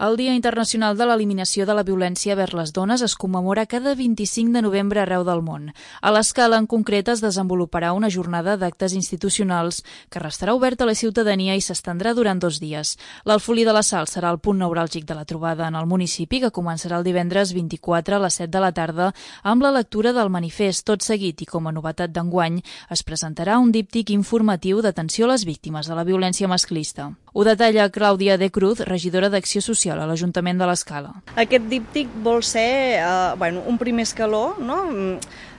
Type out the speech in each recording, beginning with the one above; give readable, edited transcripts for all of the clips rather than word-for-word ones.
El Dia Internacional de l'Eliminació de la Violència vers les Dones es commemora cada 25 de novembre arreu del món. A l'Escala, en concret, es desenvoluparà una jornada d'actes institucionals que restarà oberta a la ciutadania i s'estendrà durant 2 dies. L'Alfolí de la Sal serà el punt neuràlgic de la trobada en el municipi, que començarà el divendres 24 a les 7 de la tarda amb la lectura del manifest. Tot seguit, i com a novetat d'enguany, es presentarà un díptic informatiu d'atenció a les víctimes de la violència masclista. Ho detalla Clàudia de Cruz, regidora d'Acció Social a l'Ajuntament de l'Escala. Aquest díptic vol ser un primer escaló, no?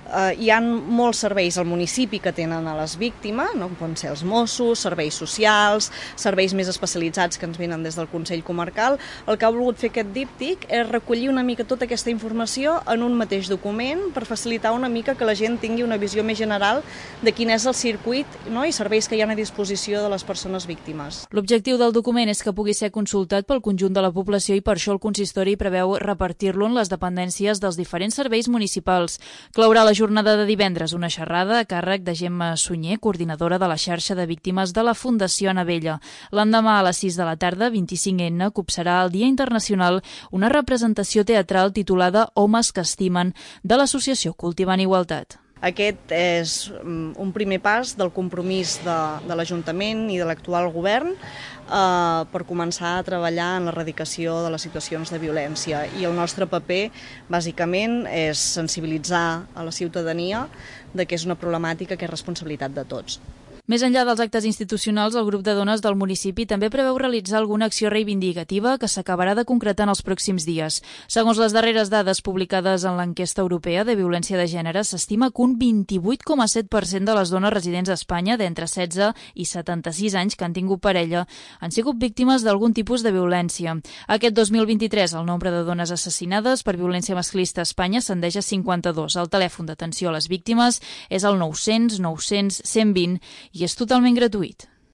Hi ha molts serveis al municipi que tenen a les víctimes, no? Poden ser els Mossos, serveis socials, serveis més especialitzats que ens venen des del Consell Comarcal. El que ha volgut fer aquest díptic és recollir una mica tota aquesta informació en un mateix document per facilitar una mica que la gent tingui una visió més general de quin és el circuit, no? I serveis que hi ha a disposició de les persones víctimes. L'objectiu del document és que pugui ser consultat pel conjunt de la població i per això el consistori preveu repartir-lo en les dependències dels diferents serveis municipals. Clourà la jornada de divendres una xerrada a càrrec de Gemma Sunyer, coordinadora de la xarxa de víctimes de la Fundació Anabella. L'endemà a les 6 de la tarda, 25N, copsarà el Dia Internacional una representació teatral titulada Homes que estimen, de l'associació Cultivant Igualtat. Aquest és un primer pas del compromís de l'Ajuntament i de l'actual govern per començar a treballar en l'erradicació de les situacions de violència. I el nostre paper, bàsicament, és sensibilitzar a la ciutadania de que és una problemàtica que és responsabilitat de tots. Més enllà dels actes institucionals, el grup de dones del municipi també preveu realitzar alguna acció reivindicativa que s'acabarà de concretar en els pròxims dies. Segons les darreres dades publicades en l'enquesta europea de violència de gènere, s'estima que un 28,7% de les dones residents a Espanya d'entre 16 i 76 anys que han tingut parella han sigut víctimes d'algun tipus de violència. Aquest 2023, el nombre de dones assassinades per violència masclista a Espanya ascendeix a 52. El telèfon d'atenció a les víctimes és el 900 900 120 i és totalment gratuït.